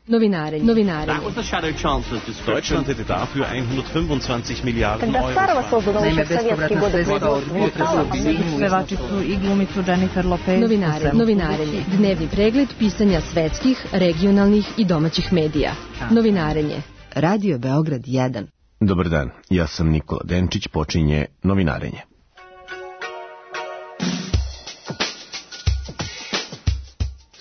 Novinare. Deutschland hätte dafür 125 Miliarden Euro. Naime, bespovratna sredstva pevačicu i glumicu Jennifer Lopez. Novinarenje. Dnevni pregled pisanja svetskih, regionalnih i domaćih medija. Novinarenje. Radio Beograd 1. Dobar dan, ja sam Nikola Denčić, počinje Novinarenje.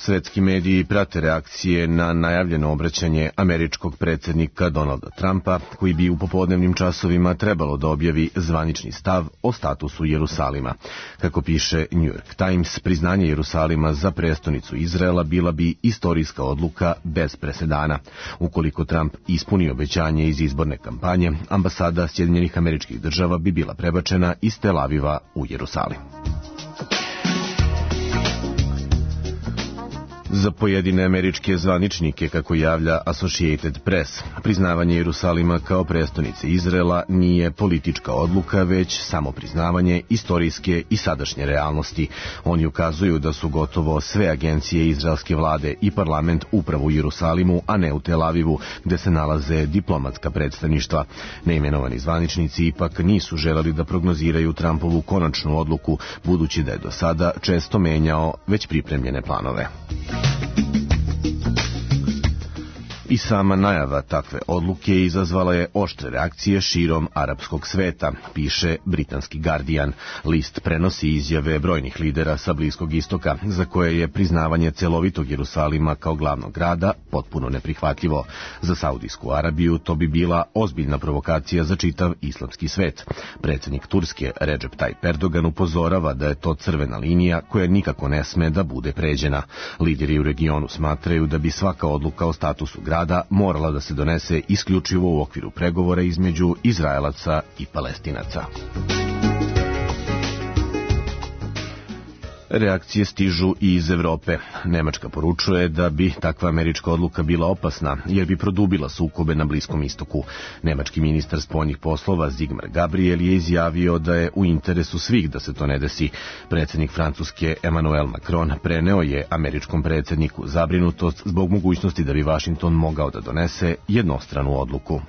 Svetski mediji prate reakcije na najavljeno obraćanje američkog predsjednika Donalda Trumpa, koji bi u popodnevnim časovima trebalo da objavi zvanični stav o statusu Jerusalima. Kako piše New York Times, priznanje Jerusalima za prestonicu Izraela bila bi istorijska odluka bez presedana. Ukoliko Trump ispuni obećanje iz izborne kampanje, ambasada Sjedinjenih Američkih Država bi bila prebačena iz Tel Aviva u Jerusalim. Za pojedine američke zvaničnike, kako javlja Associated Press, priznavanje Jerusalima kao prestonice Izraela nije politička odluka, već samo priznavanje istorijske i sadašnje realnosti. Oni ukazuju da su gotovo sve agencije izraelske vlade i parlament upravo u Jerusalimu, a ne u Tel Avivu, gde se nalaze diplomatska predstavništva. Neimenovani zvaničnici ipak nisu želeli da prognoziraju Trumpovu konačnu odluku, budući da je do sada često menjao već pripremljene planove. I sama najava takve odluke izazvala je oštre reakcije širom arapskog sveta, piše britanski Guardian. List prenosi izjave brojnih lidera sa Bliskog istoka, za koje je priznavanje celovitog Jerusalima kao glavnog grada potpuno neprihvatljivo. Za Saudijsku Arabiju to bi bila ozbiljna provokacija za čitav islamski svet. Predsjednik Turske Recep Tayyip Erdogan upozorava da je to crvena linija koja nikako ne sme da bude pređena. Lideri u regionu smatraju da bi svaka odluka o statusu grada morala da se donese isključivo u okviru pregovora između Izraelaca i Palestinaca. Reakcije stižu i iz Evrope. Nemačka poručuje da bi takva američka odluka bila opasna, jer bi produbila sukobe na Bliskom istoku. Nemački ministar spoljnih poslova Sigmar Gabriel je izjavio da je u interesu svih da se to ne desi. Predsjednik Francuske Emmanuel Macron preneo je američkom predsjedniku zabrinutost zbog mogućnosti da bi Washington mogao da donese jednostranu odluku.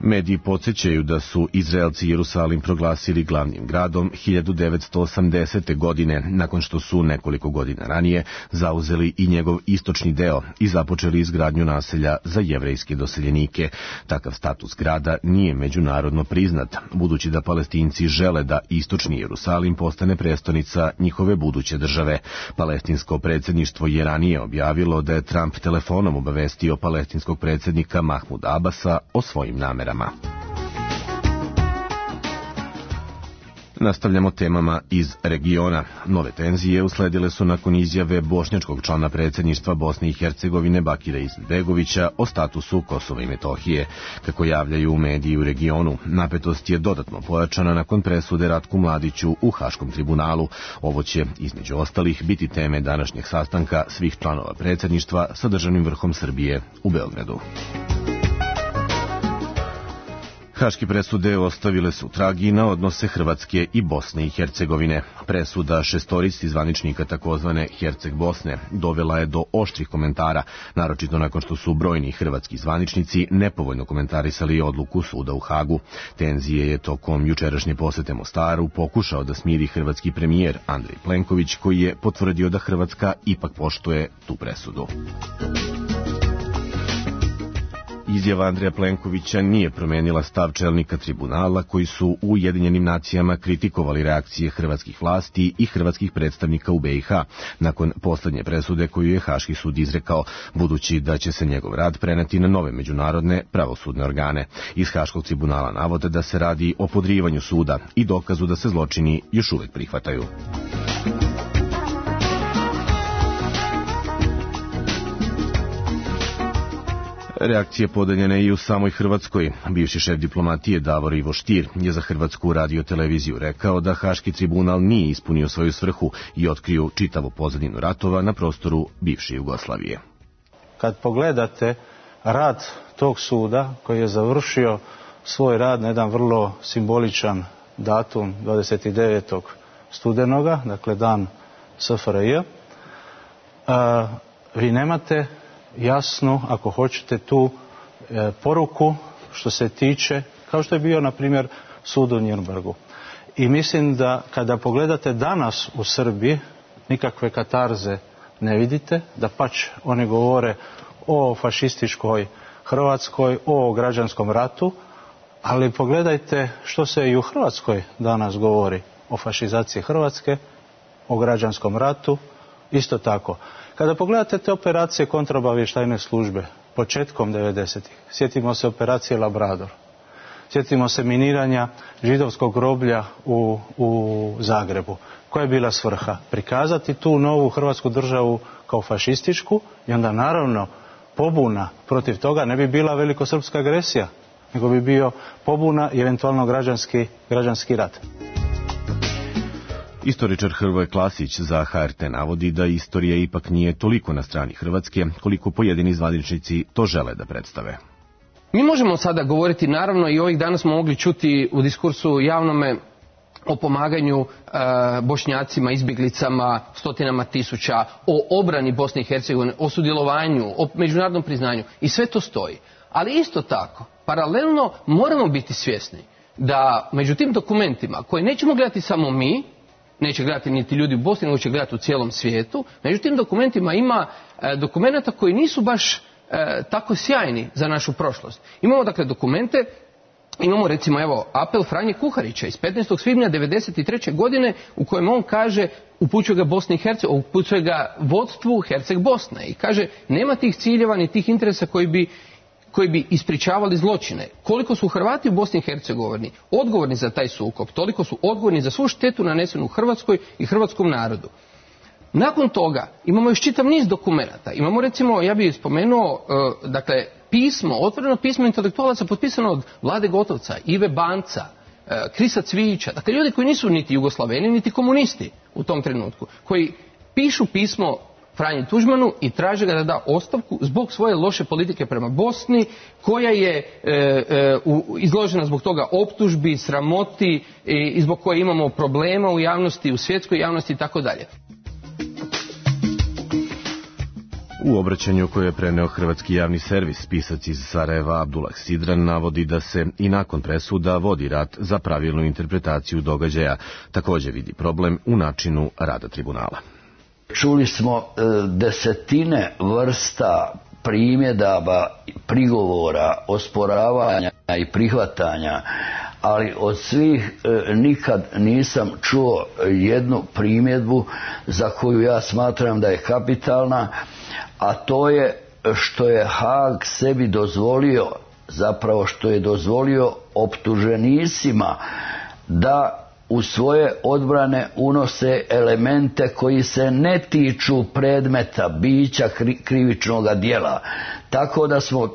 Mediji podsjećaju da su Izraelci Jerusalim proglasili glavnim gradom 1980. godine, nakon što su nekoliko godina ranije zauzeli i njegov istočni deo i započeli izgradnju naselja za jevrejske doseljenike. Takav status grada nije međunarodno priznat, budući da Palestinci žele da istočni Jerusalim postane prestonica njihove buduće države. Palestinsko predsjedništvo je ranije objavilo da je Trump telefonom obavestio palestinskog predsjednika Mahmuda Abasa o svojim namerama. Nastavljamo temama iz regiona. Nove tenzije usledile su nakon izjave bošnjačkog člana predsjedništva Bosne i Hercegovine Bakira Izetbegovića o statusu Kosova i Metohije. Kako javljaju mediji u regionu, napetost je dodatno pojačana nakon presude Ratku Mladiću u Haškom tribunalu. Ovo će, između ostalih, biti teme današnjeg sastanka svih članova predsjedništva sa državnim vrhom Srbije u Beogradu. Haške presude ostavile su tragi na odnose Hrvatske i Bosne i Hercegovine. Presuda šestorici zvaničnika takozvane Herceg Bosne dovela je do oštrih komentara, naročito nakon što su brojni hrvatski zvaničnici nepovoljno komentarisali odluku suda u Hagu. Tenzije je tokom jučerašnje posete Mostaru pokušao da smiri hrvatski premijer Andrej Plenković, koji je potvrdio da Hrvatska ipak poštuje tu presudu. Izjava Andreja Plenkovića nije promenila stav čelnika tribunala, koji su u Ujedinjenim nacijama kritikovali reakcije hrvatskih vlasti i hrvatskih predstavnika u BiH nakon poslednje presude koju je Haški sud izrekao, budući da će se njegov rad preneti na nove međunarodne pravosudne organe. Iz Haškog tribunala navode da se radi o podrivanju suda i dokazu da se zločini još uvek prihvataju. Reakcije podeljene i u samoj Hrvatskoj. Bivši šef diplomatije Davor Ivo Stier je za Hrvatsku radioteleviziju rekao da Haški tribunal nije ispunio svoju svrhu i otkrio čitavu pozadinu ratova na prostoru bivše Jugoslavije. Kad pogledate rad tog suda, koji je završio svoj rad na jedan vrlo simboličan datum 29. studenoga, dakle dan SFRJ, vi nemate jasnu, ako hoćete, tu poruku što se tiče, kao što je bio, na primjer, sud u Nürnbergu. I mislim da kada pogledate danas u Srbiji, nikakve katarze ne vidite, da pač oni govore o fašističkoj Hrvatskoj, o građanskom ratu, ali pogledajte što se i u Hrvatskoj danas govori o fašizaciji Hrvatske, o građanskom ratu, isto tako. Kada pogledate te operacije kontraobavještajne službe, početkom 90-ih, sjetimo se operacije Labrador, sjetimo se miniranja židovskog groblja u Zagrebu. Koja je bila svrha? Prikazati tu novu Hrvatsku državu kao fašističku i onda naravno pobuna protiv toga ne bi bila velikosrpska agresija, nego bi bio pobuna i eventualno građanski rat. Istoričar Hrvoje Klasić za HRT navodi da istorija ipak nije toliko na strani Hrvatske koliko pojedini zvaničnici to žele da predstave. Mi možemo sada govoriti, naravno, i ovih dana smo mogli čuti u diskursu javnome o pomaganju Bošnjacima, izbjeglicama, stotinama tisuća, o obrani Bosne i Hercegovine, o sudjelovanju, o međunarodnom priznanju, i sve to stoji. Ali isto tako, paralelno moramo biti svjesni da među tim dokumentima, koje nećemo gledati samo mi, neće gledati niti ljudi u Bosni, nego će gledati u cijelom svijetu, među tim dokumentima ima dokumenata koji nisu baš tako sjajni za našu prošlost. Imamo dakle dokumente, imamo recimo evo apel Franje Kuharića iz 15. svibnja 1993. godine u kojem on kaže, upućuje ga Bosni i Hercegovini, upućuje ga vodstvu Herceg Bosne i kaže nema tih ciljeva ni tih interesa koji bi ispričavali zločine. Koliko su Hrvati u Bosni i Hercegovini odgovorni za taj sukob, toliko su odgovorni za svu štetu nanesenu Hrvatskoj i hrvatskom narodu. Nakon toga imamo još čitav niz dokumenata. Imamo recimo, ja bih spomenuo, dakle, pismo, otvoreno pismo intelektualaca potpisano od Vlade Gotovca, Ive Banca, Krisa Cvijića, dakle ljudi koji nisu niti Jugoslaveni, niti komunisti u tom trenutku, koji pišu pismo Franji Tuđmanu i traže ga da da ostavku zbog svoje loše politike prema Bosni, koja je izložena zbog toga optužbi, sramoti i zbog koje imamo problema u javnosti, u svjetskoj javnosti i tako dalje. U obraćanju koje je preneo Hrvatski javni servis, pisac iz Sarajeva Abdullah Sidran navodi da se i nakon presuda vodi rat za pravilnu interpretaciju događaja. Također vidi problem u načinu rada tribunala. Čuli smo desetine vrsta primjedaba, prigovora, osporavanja i prihvatanja, ali od svih nikad nisam čuo jednu primjedbu za koju ja smatram da je kapitalna, a to je što je Haag sebi dozvolio, zapravo što je dozvolio optuženicima da u svoje odbrane unose elemente koji se ne tiču predmeta, bića krivičnog djela. Tako da smo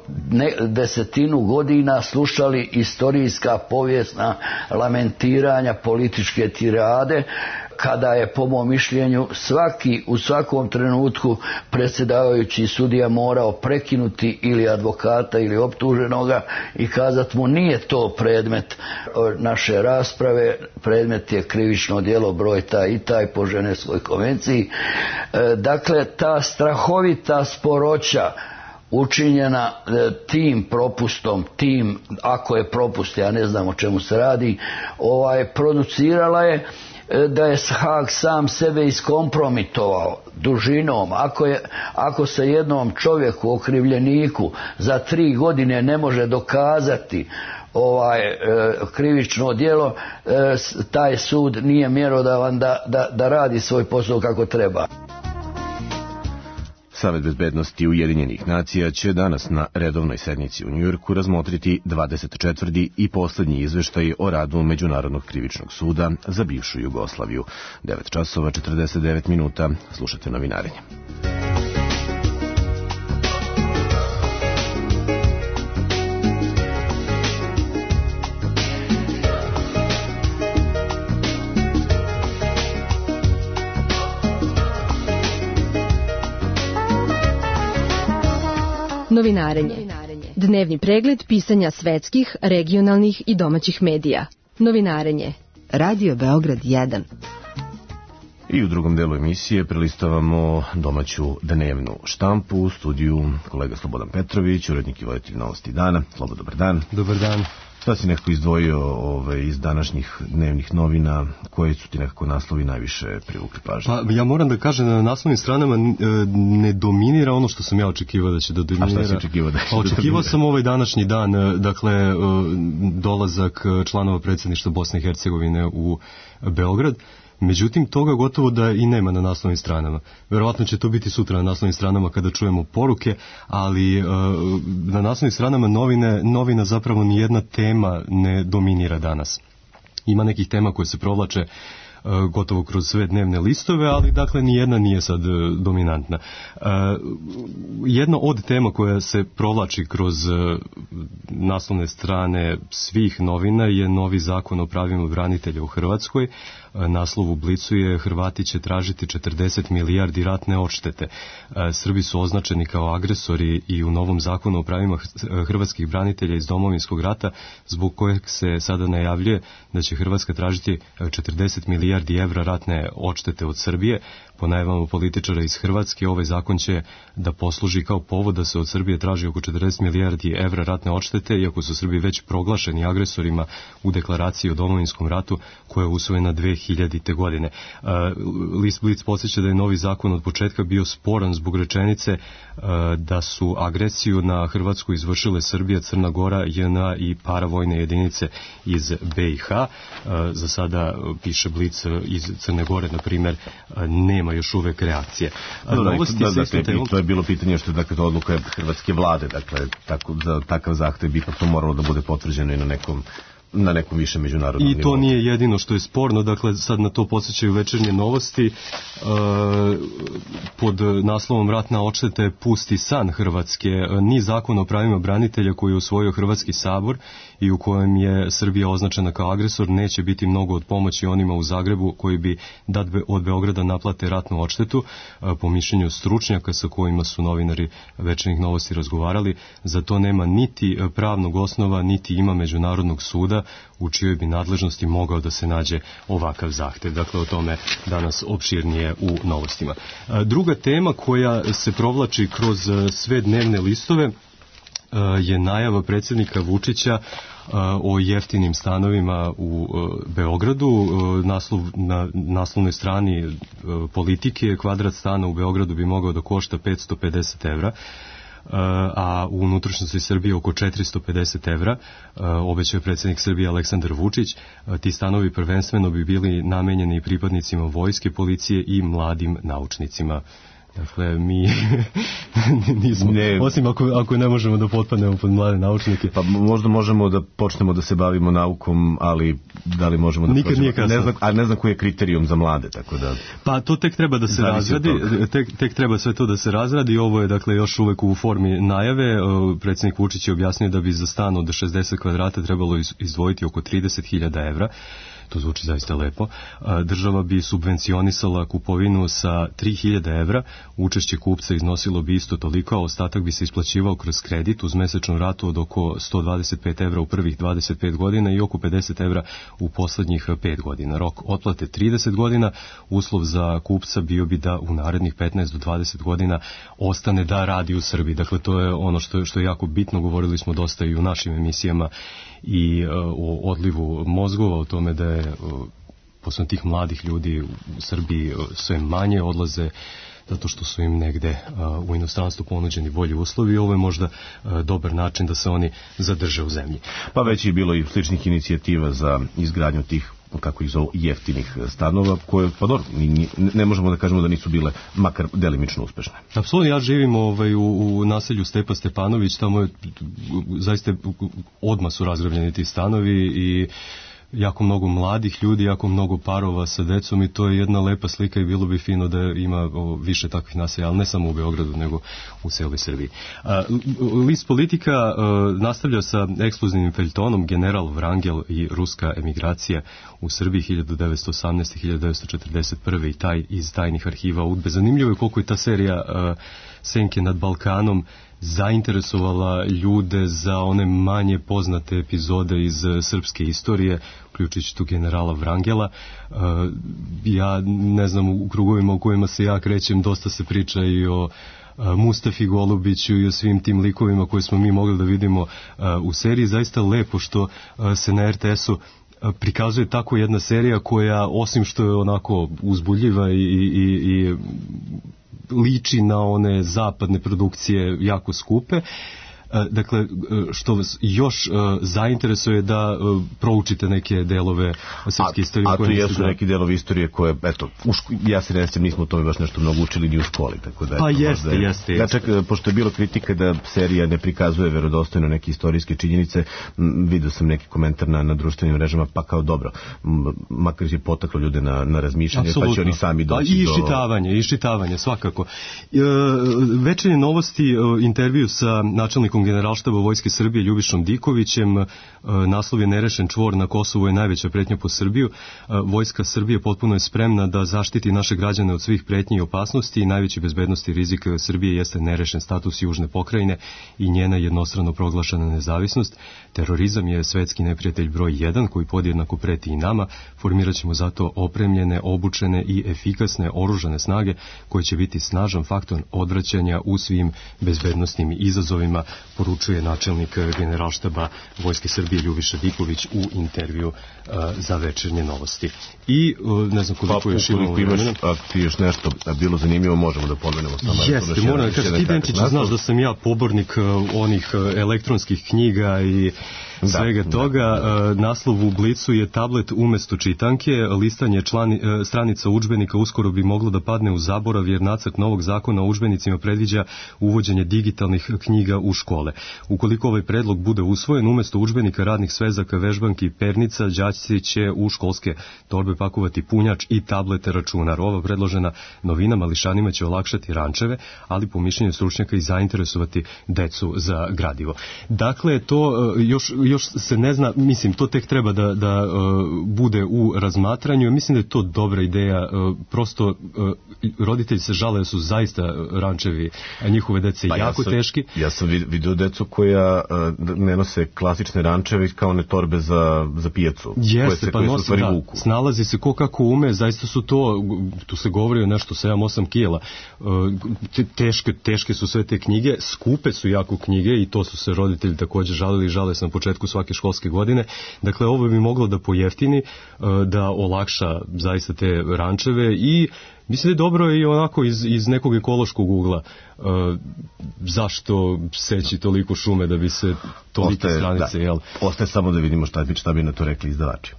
desetinu godina slušali istorijska povijesna lamentiranja, političke tirade, kada je po mom mišljenju u svakom trenutku predsjedavajući sudija morao prekinuti ili advokata ili optuženoga i kazati mu nije to predmet naše rasprave, predmet je krivično djelo broj taj i taj po Ženevskoj konvenciji. Dakle, ta strahovita sporoća učinjena tim propustom, ako je propust, ja ne znam o čemu se radi, producirala je da je Haag sam sebe iskompromitovao dužinom. Ako se jednom čovjeku, okrivljeniku, za 3 godine ne može dokazati krivično djelo, taj sud nije mjerodavan da radi svoj posao kako treba. Savet bezbednosti Ujedinjenih nacija će danas na redovnoj sednici u Njujorku razmotriti 24. i posljednji izveštaj o radu Međunarodnog krivičnog suda za bivšu Jugoslaviju. 9 časova 49 minuta. Slušate novinarenje. Novinarenje. Dnevni pregled pisanja svetskih, regionalnih i domaćih medija. Novinarenje. Radio Beograd 1. I u drugom delu emisije prelistavamo domaću dnevnu štampu. U studiju kolega Slobodan Petrović, urednik i voditelj Novosti dana. Slobo, dobar dan. Dobar dan. Šta si nekako izdvojio iz današnjih dnevnih novina? Koji su ti nekako naslovi najviše privukli pažnje? Pa ja moram da kažem da na naslovnim stranama ne dominira ono što sam ja očekivao da će da dominira. A šta si očekivao da će očekivao sam ovaj današnji dan, dakle dolazak članova predsjedništva Bosne i Hercegovine u Beograd. Međutim, toga gotovo da i nema na naslovnim stranama. Verovatno će to biti sutra na naslovnim stranama kada čujemo poruke, ali na naslovnim stranama novina zapravo nijedna tema ne dominira danas. Ima nekih tema koje se provlače gotovo kroz sve dnevne listove, ali dakle nijedna nije sad dominantna. Jedna od tema koja se provlači kroz naslovne strane svih novina je novi zakon o pravima branitelja u Hrvatskoj. Naslov u Blicu je: Hrvati će tražiti 40 milijardi ratne odštete. Srbi su označeni kao agresori i u novom zakonu o pravima hrvatskih branitelja iz Domovinskog rata, zbog kojeg se sada najavljuje da će Hrvatska tražiti 40 milijardi evra ratne odštete od Srbije. Po najavama političara iz Hrvatske, ovaj zakon će da posluži kao povod da se od Srbije traži oko 40 milijardi evra ratne odštete, iako su Srbi već proglašeni agresorima u deklaraciji o Domovinskom ratu koja je usvojena 2000. godine. List Blic podsjeća da je novi zakon od početka bio sporan zbog rečenice da su agresiju na Hrvatsku izvršile Srbija, Crna Gora, JNA i paravojne jedinice iz BiH. Za sada, piše Blic, iz Crne Gore, na primjer, nema još uvek reakcije. To je bilo pitanje što je dakle to odluka hrvatske vlade, dakle za takav zahtev bi to moralo da bude potvrđeno i na nekom više međunarodnom nivou. I to nije jedino što je sporno, dakle sad na to podsjećaju Večernje novosti. Pod naslovom Ratna odšteta je pusti san Hrvatske. Ni zakon o pravima branitelja koji je usvojio Hrvatski sabor i u kojem je Srbija označena kao agresor neće biti mnogo od pomoći onima u Zagrebu koji bi od Beograda naplate ratnu odštetu. Po mišljenju stručnjaka sa kojima su novinari Večernjih novosti razgovarali, za to nema niti pravnog osnova, niti ima međunarodnog suda u čijoj bi nadležnosti mogao da se nađe ovakav zahtev. Dakle, o tome danas opširnije u novostima. Druga tema koja se provlači kroz sve dnevne listove je najava predsjednika Vučića o jeftinim stanovima u Beogradu. Na naslovnoj strani Politike: kvadrat stana u Beogradu bi mogao da košta 550 evra, a u unutrašnjosti Srbije oko 450 evra, obećao predsjednik Srbije Aleksandar Vučić. Ti stanovi prvenstveno bi bili namenjeni pripadnicima vojske, policije i mladim naučnicima. Dakle, mi nismo, osim ako ne možemo da potpadnemo pod mlade naučnike. Pa možda možemo da počnemo da se bavimo naukom, ali da li možemo da nikad nije kasno. Ne znam koji je kriterijum za mlade, tako da... Pa to tek treba da se razradi, tek treba sve to da se razradi. Ovo je dakle još uvek u formi najave. Predsjednik Vučić je objasnio da bi za stan od 60 kvadrata trebalo izdvojiti oko 30.000 evra. To zvuči zaista lepo. Država bi subvencionisala kupovinu sa 3.000 evra, učešće kupca iznosilo bi isto toliko, a ostatak bi se isplaćivao kroz kredit uz mesečnu ratu od oko 125 evra u prvih 25 godina i oko 50 evra u poslednjih 5 godina. Rok otplate 30 godina, uslov za kupca bio bi da u narednih 15 do 20 godina ostane da radi u Srbiji. Dakle, to je ono što je jako bitno, govorili smo dosta i u našim emisijama i o odlivu mozgova, o tome da je posle tih mladih ljudi u Srbiji sve manje odlaze zato što su im negde u inostranstvu ponuđeni bolji uslovi i ovo je možda dobar način da se oni zadrže u zemlji. Pa već je bilo i sličnih inicijativa za izgradnju tih, kako ih zovu, jeftinih stanova, koje, pa dobro, ne možemo da kažemo da nisu bile makar delimično uspešne. Apsolutno, ja živim u naselju Stepa Stepanović, tamo je zaista odmah su razgrabljeni ti stanovi i jako mnogo mladih ljudi, jako mnogo parova sa decom i to je jedna lepa slika i bilo bi fino da ima više takvih naselja, ali ne samo u Beogradu, nego u celoj Srbiji. List Politika nastavlja sa ekskluzivnim feljtonom General Vrangel i ruska emigracija u Srbiji 1918-1941 i taj iz tajnih arhiva UDBE. Zanimljivo je koliko je ta serija Senke nad Balkanom zainteresovala ljude za one manje poznate epizode iz srpske istorije, uključujući tu generala Vrangela. Ja ne znam, u krugovima u kojima se ja krećem dosta se priča i o Mustafi Golubiću i o svim tim likovima koje smo mi mogli da vidimo u seriji. Zaista lepo što se na RTS-u prikazuje tako jedna serija koja, osim što je onako uzbudljiva i liči na one zapadne produkcije jako skupe, dakle, što vas još zainteresuje da proučite neke delove srpske istorije. A tu jesu neki delovi istorije koje, eto, ja se nesim, nismo o tome baš nešto mnogo učili ni u školi. Tako da, pa jeste. Ja čak, pošto je bilo kritika da serija ne prikazuje verodostojno neke istorijske činjenice, vidio sam neki komentar na društvenim mrežama, pa kao dobro, makar je potaklo ljude na razmišljanje, absolutno. Pa će oni sami doći I iščitavanje, svakako. Večernje novosti, intervju sa načelnikom Generalštaba Vojske Srbije Ljubišom Dikovićem, naslov je Nerešen čvor na Kosovu je najveća pretnja po Srbiju. Vojska Srbije potpuno je spremna da zaštiti naše građane od svih pretnji i opasnosti i najveći bezbednosti rizik Srbije jeste nerešen status južne pokrajine i njena jednostrano proglašena nezavisnost. Terorizam je svetski neprijatelj broj 1 koji podjednako preti i nama. Formirat ćemo zato opremljene, obučene i efikasne oružane snage koje će biti snažan faktor odvraćanja u svim bezbednostnim izazovima, poručuje načelnik Generalštaba Vojske Srbije Ljubiša Diković u intervju za večernje novosti. I ne znam koliko još imamo vremena. Ako ti još nešto bilo zanimljivo, možemo da pomenemo samo. Jeste, moram, kad ti Denčić znaš da sam ja pobornik onih elektronskih knjiga i svega toga. Naslov u Blicu je tablet umesto čitanke, listanje stranica udžbenika uskoro bi moglo da padne u zaborav jer nacrt novog zakona o udžbenicima predviđa uvođenje digitalnih knjiga u škole. Ukoliko ovaj predlog bude usvojen, umesto udžbenika, radnih svezaka, vežbanki i pernica, đaci će u školske torbe pakovati punjač i tablete računar. Ova predložena novina mališanima će olakšati rančeve, ali po mišljenju stručnjaka i zainteresovati decu za gradivo. Dakle, to još se ne zna, mislim, to tek treba da bude u razmatranju. Mislim da je to dobra ideja, prosto roditelji se žale da su zaista rančevi, a njihove dece jako teški. Ja sam vidio decu koja ne nose klasične rančeve kao ne torbe za pijacu. Jeste, pa nosi, da, snalazi se ko kako ume, zaista su to, tu se govori o nešto 7-8 kila. Teške su sve te knjige, skupe su jako knjige i to su se roditelji također žale se na početku svake školske godine. Dakle, ovo bi moglo da pojeftini, da olakša zaista te rančeve i mislim da je dobro i onako iz nekog ekološkog ugla. Zašto seći toliko šume da bi se tolike stranice, jel? Ostaje samo da vidimo šta bi na to rekli izdavači.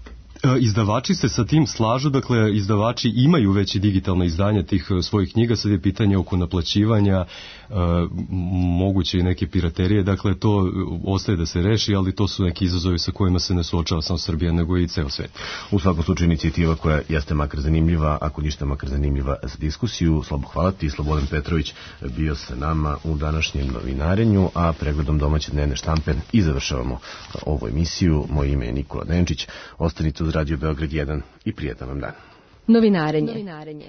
Izdavači se sa tim slažu, dakle izdavači imaju već i digitalna izdanja tih svojih knjiga, sad je pitanje oko naplaćivanja, moguće i neke piraterije, dakle to ostaje da se reši, ali to su neki izazovi sa kojima se ne suočava samo Srbija, nego i ceo svet. U svakom slučaju inicijativa koja jeste makar zanimljiva, ako ništa makar zanimljiva za diskusiju. Slabo hvala ti, Slobodan Petrović bio sa nama u današnjem novinarenju, a pregledom domaće dnevne štampe i završavamo ovu emisiju. Moje ime je Nikola Denčić, ostanite uz Radio Beograd 1 i prijetan vam dan. Novinarenje.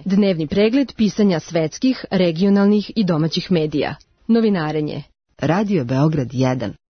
Dnevni pregled pisanja svetskih, regionalnih i domaćih medija. Novinarenje. Radio Beograd 1.